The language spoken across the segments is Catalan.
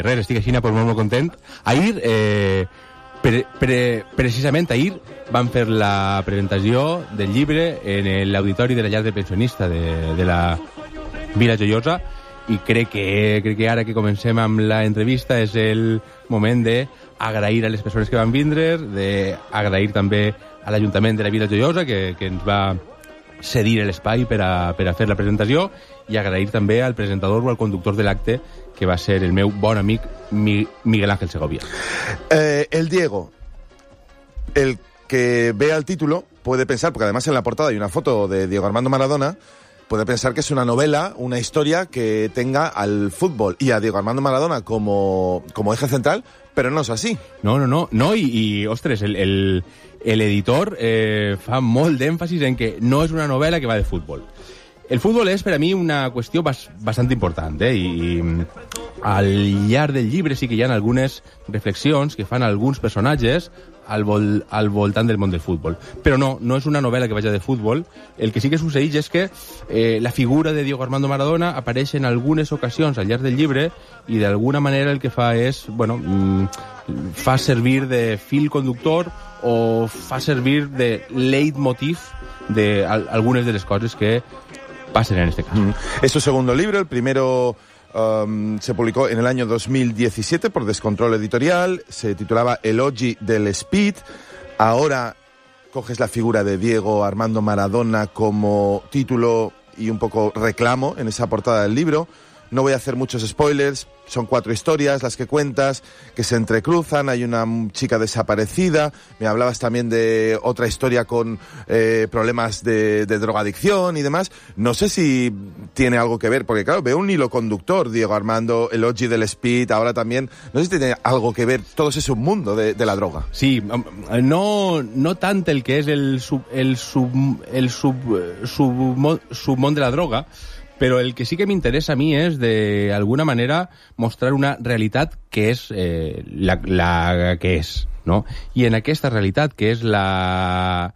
res, estic així pues, molt content. Ahir, precisament ahir, van fer la presentació del llibre en l'auditori de la llar de pensionista de la Vila Joiosa, i crec que ara que comencem amb l'entrevista és el moment d'agrair a les persones que van vindre, d'agrair també a l'Ajuntament de la Vila Joiosa que ens va cedir l'espai per a fer la presentació, i agrair també al presentador o al conductor de l'acte, que va ser el meu bon amic Miguel Ángel Segovia. El Diego, el que vea el título puede pensar, porque además en la portada hay una foto de Diego Armando Maradona, puede pensar que es una novela, una historia que tenga al fútbol y a Diego Armando Maradona como eje central, pero no es así. No, i ostres, el editor fa molt d'èmfasis en que no és una novel·la que va de futbol. El futbol és, per a mi, una qüestió bastant important, i al llarg del llibre sí que hi ha algunes reflexions que fan alguns personatges al voltant del món del futbol. Però no és una novel·la que vagi de futbol. El que sí que succeeix és que la figura de Diego Armando Maradona apareix en algunes ocasions al llarg del llibre, i d'alguna manera el que fa és, fa servir de fil conductor o fa servir de leitmotiv d'algunes de les coses que pasen en este caso. Es su segundo libro, el primero se publicó en el año 2017 por Descontrol Editorial, se titulaba Elogi del Speed. Ahora coges la figura de Diego Armando Maradona como título y un poco reclamo en esa portada del libro. No voy a hacer muchos spoilers, son 4 historias las que cuentas, que se entrecruzan, hay una chica desaparecida, me hablabas también de otra historia con problemas de drogadicción y demás. No sé si tiene algo que ver, porque claro, veo un hilo conductor, Diego Armando, Elogi del Speed, ahora también, no sé si tiene algo que ver todo ese submundo de la droga. Sí, no tant el que és el submón de la droga, però el que sí que m'interessa a mi és, d'alguna manera, mostrar una realitat que és la que és, no? I en aquesta realitat, que és la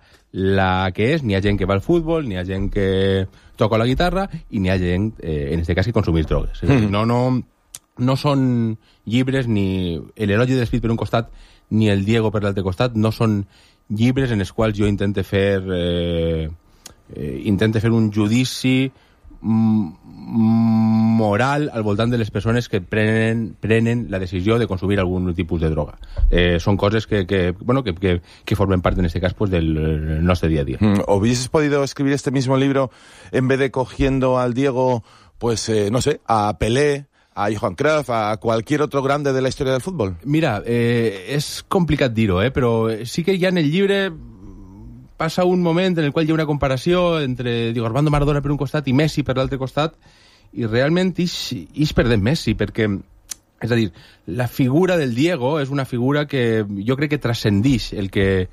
que és, n'hi ha gent que va al futbol, n'hi ha gent que toca la guitarra, i n'hi ha gent, en aquest cas, que consumís drogues. No són llibres, ni l'Elogi de l'Espit per un costat, ni el Diego per l'altre costat, no són llibres en els quals jo intente fer un judici moral al voltant de les persones que prenen la decisió de consumir algun tipus de droga. Són coses que formen part, en este cas, pues, del nostre día a día. ¿Hubieses podido escribir este mismo libro en vez de cogiendo al Diego, pues, no sé, a Pelé, a Johan Cruyff, a cualquier otro grande de la historia del fútbol? Mira, és complicat dir-ho, però sí que ja en el llibre passa un moment en el qual hi ha una comparació entre Diego Armando Maradona per un costat i Messi per l'altre costat, i realment ix perdent Messi, perquè, és a dir, la figura del Diego és una figura que jo crec que transcendix el que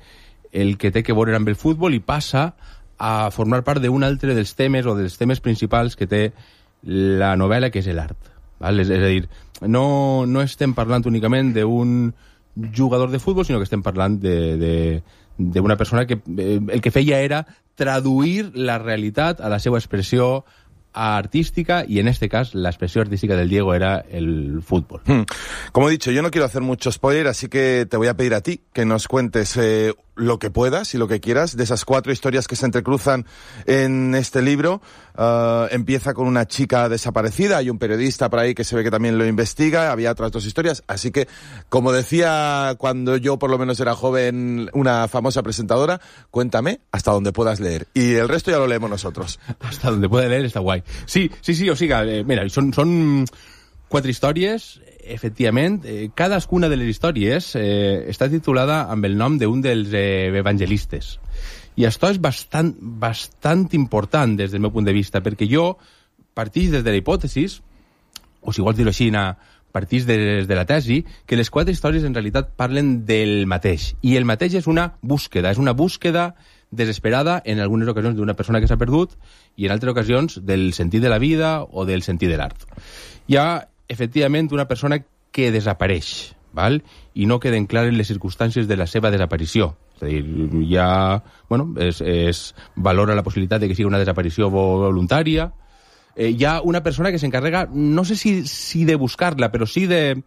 té que veure amb el futbol i passa a formar part d'un altre dels temes o dels temes principals que té la novel·la, que és l'art. És a dir, no estem parlant únicament d'un jugador de futbol, sinó que estem parlant d'una persona que el que feia era traduir la realitat a la seva expressió artística, y en este caso la expresión artística del Diego era el fútbol. Como he dicho, yo no quiero hacer mucho spoiler, así que te voy a pedir a ti que nos cuentes lo que puedas y lo que quieras de esas 4 historias que se entrecruzan en este libro. Empieza con una chica desaparecida, hay un periodista por ahí que se ve que también lo investiga, había otras 2 historias, así que, como decía cuando yo por lo menos era joven una famosa presentadora, cuéntame hasta donde puedas leer, y el resto ya lo leemos nosotros. Hasta donde pueda leer está guay. Sí, o siga, mira, són 4 històries, efectivament. Cadascuna de les històries està titulada amb el nom d'un dels evangelistes. I això és bastant important des del meu punt de vista, perquè jo partís des de la hipòtesi, o si vols dir-ho així, partís des de la tesi, que les 4 històries en realitat parlen del mateix. I el mateix és una búsqueda desesperada en algunes ocasions d'una persona que s'ha perdut i en altres ocasions del sentit de la vida o del sentit de l'art. Hi ha, efectivament, una persona que desapareix, val? I no queden clares les circumstàncies de la seva desaparició. És a dir, es valora la possibilitat de que sigui una desaparició voluntària. Hi ha una persona que s'encarrega, no sé si de buscar-la, però sí de